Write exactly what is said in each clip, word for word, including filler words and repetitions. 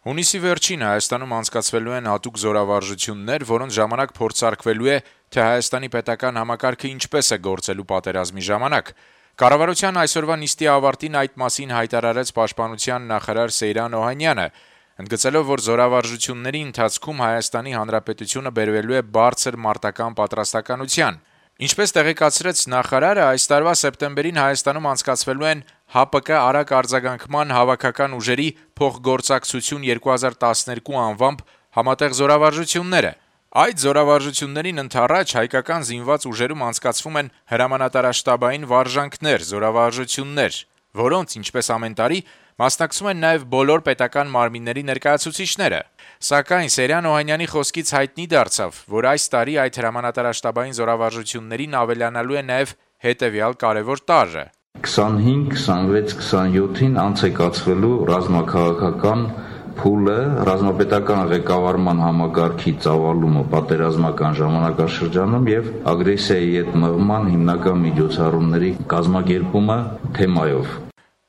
Հունիսի վերջին Հայաստանում անցկացվելու են հատուկ զորավարժություններ, որոնց ժամանակ փորձարկվելու է, թե Հայաստանի պետական համակարգը ինչպես է գործելու պատերազմի ժամանակ։ Կառավարության այսօրվա նիստի ավարտին այդ մասին հայտարարեց Պաշտպանության նախարար Սեյրան Օհանյանը, ընդգծելով, որ զորավարժությունների ընթացքում Հայաստանի Հանրապետությունը բերվելու է բարձր մարտական պատրաստականության։ Ինչպես տեղեկացրեց նախարարը, այս տարվա սեպտեմբերին Հայաստանում անցկացվելու են ՀԱՊԿ արագ արձագանքման հավաքական ուժերի փոխգործակցություն երկու հազար տասներկու անվամբ համատեղ զորավարժությունները։ Այդ զորավարժություններին ընդառաջ հայկական զինված ուժերում անցկացվում են հրամանատարաշտաբային վարժանքներ, զորավարժություններ, որոնց, ինչպես ամեն տարի, մասնակցում են նաև բոլոր պետական մարմինների ներկայացուցիչները։ Սակայն Սեյրան Օհանյանի խոսքից հայտնի դարձավ, որ այս տարի այդ հրամանատարաշտաբային զորավարժություններին ավելանալու է նաև հետևյալ կարևոր տարրը. քսանհինգ, քսանվեց, քսանյոթին անց է կացվելու ռազմաքաղաքական փուլը, ռազմապետական ղեկավարման համակարգի ծավալումը պատերազմական ժամանակաշրջանում եւ ագրեսիայի հետ մղման հիմնական միջոցառումների կազմակերպումը թեմայով։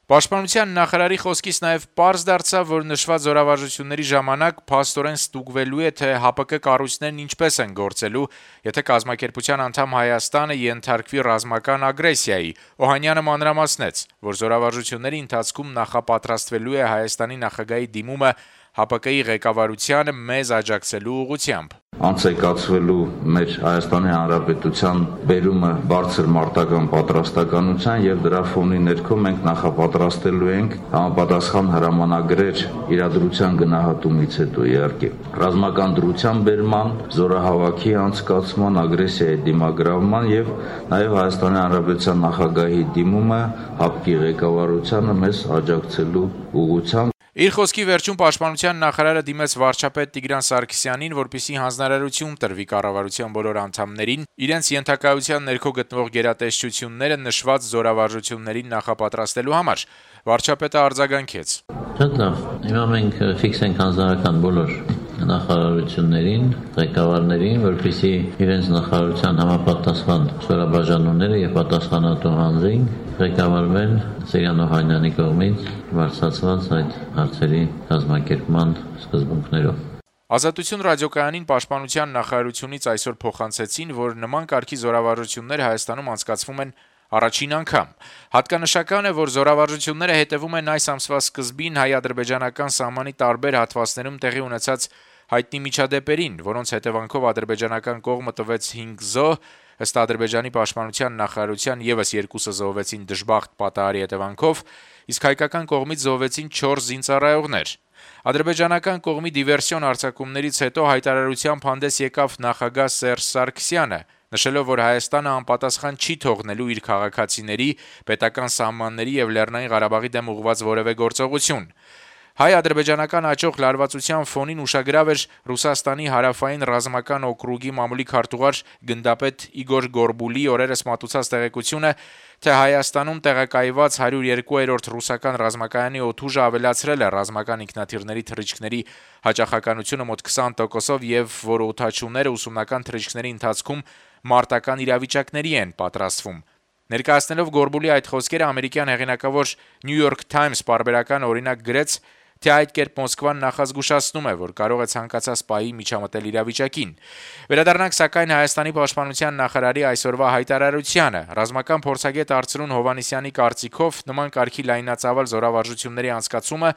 Պաշտպանության նախարարի խոսքից նաև պարզ դարձավ, որ նշված զորավարժությունների ժամանակ փաստորեն ստուգվելու է, թե ՀԱՊԿ կառույցներն ինչպես են գործելու, եթե կազմակերպության անդամ Հայաստանը ենթարկվի ռազմական ագրեսիայի։ Օհանյանը մանրամասնեց, որ զորավարժությունների ընթացքում նախապատրաստվելու է Հայաստանի նախագահի դիմումը ՀԱՊԿ-ի ղեկավարությանը մեզ աջակցելու ուղղությամբ։ Անց է կացվելու մեր Հայաստանի Հանրապետության բերումը բարձր մարտական պատրաստականության եւ դրա ֆոնի ներքո մենք նախապատրաստելու ենք համապատասխան հրամանագրեր իրադրության գնահատումից հետո իհարկե ռազմական դրության բերման, զորահավաքի անցկացման, ագրեսիայի դիմագրավման եւ նաեւ Հայաստանի Հանրապետության նախագահի դիմումը ՀԱՊԿ-ի ղեկավարությանը մեզ աջակցելու ուղղությամբ։ Իր խոսքի վերջում Պաշտպանության նախարարը դիմեց վարչապետ Տիգրան Սարգսյանին, որպեսզի հանձնարարություն տրվի կառավարության բոլոր անդամներին իրենց ենթակայության ներքո գտնվող գերատեսչությունները նշված զորավարժություններին նախապատրաստելու համար։ Վարչապետը արձագանքեց. Շատ լավ, հիմա մենք ֆիքս ենք հանձնարարական բոլոր նախարարություններին, ղեկավարներին, որպեսզի իրենց նախարարության համապատասխան զորաբաժանումները եւ պատասխանատու անձին ղեկավարվեն Սեյրան Օհանյանի կողմից բարձրացված այդ հարցերի կազմակերպման սկզբունքներով։ Ազատություն ռադիոկայանին Պաշտպանության նախարարությունից այսօր փոխանցեցին, որ նման կարգի զորավարժություններ Հայաստանում անցկացվում են առաջին անգամ։ Հատկանշական է, որ զորավարժությունները հետևում են այս ամսվա սկզբին հայ-ադրբեջանական սահմանի տարբեր հատվածներում տեղի ունեցած հայտնի միջադեպերին, որոնց հետևանքով ադրբեջանական կողմը տվեց հինգ զոհ, ըստ Ադրբեջանի պաշտպանության նախարարության եւս երկուսը զոհվեցին դժբախտ պատահարի հետևանքով, իսկ հայկական կողմից զոհվեցին չորս զինծառայողներ։ Ադրբեջանական կողմի դիվերսիոն արձակումներից հետո հայտարարությամբ հանդես եկավ նախագահ Սերժ Սարգսյանը, նշելով, որ Հայաստանը անպատասխան չի թողնելու իր քաղաքացիների, պետական սահմանների եւ Լեռնային Ղարաբաղի դեմ ուղղված որևէ գործողություն։ Հայ-ադրբեջանական աճող լարվածության ֆոնին ուշագրավ էր Ռուսաստանի հարավային ռազմական օկրուգի մամուլի քարտուղար գնդապետ Իգոր Գորբուլի օրերս մատուցած տեղեկությունը, թե Հայաստանում տեղակայված հարյուր երկու ռուսական ռազմակայանի օդուժը ավելացրել է ռազմական ինքնաթիռների թռիչքների հաճախականությունը մոտ քսան տոկոսով եւ որ օդաչուները ուսումնական թռիչքների ընթացքում մարտական իրավիճակների են պատրաստվում։ Ներկայացնելով Գորբուլի այդ խոսքերը ամերիկյան հեղինակավոր New York Times պարբերական օրինակ գրեց, թե այդ կերպ Մոսկվան նախազգուշացնում է, որ կարող է ցանկացած պահի միջամտել իրավիճակին։ Վերադառնանք սակայն Հայաստանի պաշտպանության նախարարի այսօրվա հայտարարությանը։ Ռազմական փորձագետ Արծրուն Հովհաննիսյանի կարծիքով նման կարգի լայնածավալ զորավարժությունների անցկացումը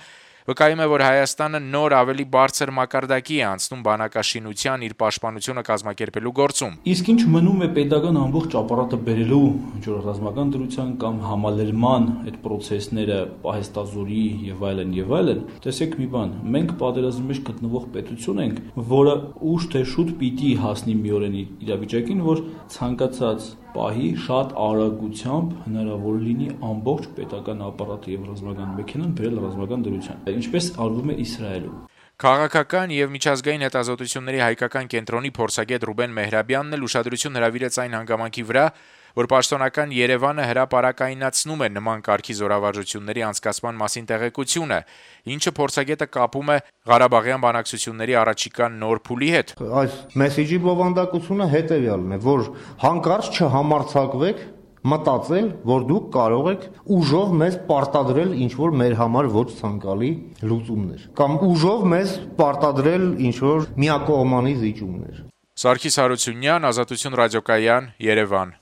վկայում է, որ Հայաստանը նոր ավելի բարձր մակարդակի է անցնում բանակաշինության իր պաշտպանությունը կազմակերպելու գործում։ Իսկ ինչ մնում է պետական ամբողջ ապարատը բերելու ռազմական դրության կամ համալրման այդ process-ները պահեստազորի եւ այլն եւ այլն, տեսեք մի բան, մենք պատերազմի մեջ գտնվող պետություն ենք, որը ուշ թե շուտ պիտի հասնի մի օրենի իրավիճակին, որ ցանկացած պահի շատ արագությամբ հնարավոր լինի ամբողջ պետական ապարատը եւ ռազմական մեքենան բերել ռազմական դրության, ինչպես արվում է Իսրայելում։ Քաղաքական եւ միջազգային հետազոտությունների հայկական կենտրոնի փորձագետ Ռուբեն Մեհրաբյանն էլ ուշադրություն հրավիրեց այն հանգամանքի վրա, որ պաշտոնական Երևանը հրապարակայնացնում է նման կարգի զորավարժությունների անցկացման մասին տեղեկությունը, ինչը փորձագետը կապում է Ղարաբաղյան բանակցությունների առաջիկա նոր փուլի հետ։ Այս մեսեջի բովանդակությունը հետեւյալն է, որ հանկարծ չհամարձակվեք մտածել, որ դուք կարող եք ուժով մեզ պարտադրել ինչ-որ մեր համար ոչ ցանկալի լուծումներ, կամ ուժով մեզ պարտադրել ինչ-որ միակողմանի զիջումներ։ Սարգիս Հարությունյան, Ազատություն ռադիոկայան, Երևան։